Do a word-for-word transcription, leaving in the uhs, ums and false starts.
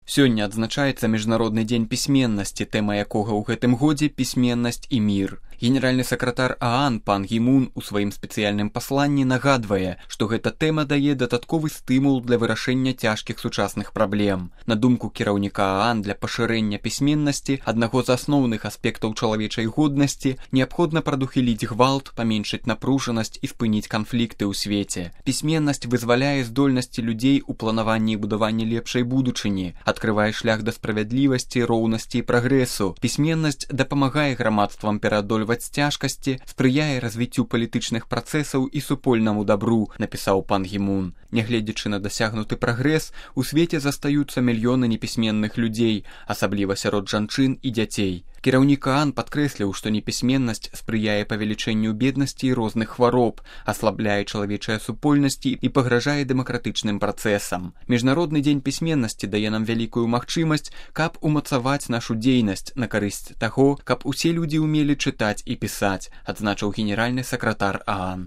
Сёння адзначаецца Міжнародны дзень пісьменнасці, тэма якога ў гэтым годзе пісьменнасць і мір. Генеральны сакратар ААН пан Гі Мун у сваім спецыяльным пасланні нагадвае, што гэта тэма дае дадатковы стымул для вырашэння цяжкіх сучасных праблем. На думку кіраўніка ААН, для пашырэння пісьменнасці, аднаго з асноўных аспектаў чалавечай годнасці, неабходна прадухіліць гвалт, паменшыць напружанасць і спыніць канфлікты ў свеце. Пісьменнасць вызваляе здольнасці людзей у планаванні і будаванні лепшай будучыні, адкрывае шлях да справядлівасці, роўнасці і прагрэсу. Пісьменнасць дапамагае грамадствам пераадольваць цяжкасці, спрыяе развіццю палітычных працэсаў і супольнаму дабру, напісаў пан Гі Мун. Нягледзячы на дасягнуты прагрэс, у свеце застаюцца мільёны непісьменных людзей, асабліва сярод жанчын і дзяцей. Кіраўнік ААН падкрэсліў, што непісьменнасць спрыяе павелічэнню беднасці і розных хвароб, аслабляе чалавечыя супольнасці і пагражае дэмакратычным працэсам. Міжнародны дзень пісьменнасці дае нам вялікую магчымасць, каб умацаваць нашу дзейнасць на карысць таго, каб усе людзі ўмелі чытаць і пісаць, адзначыў генеральны сакратар ААН.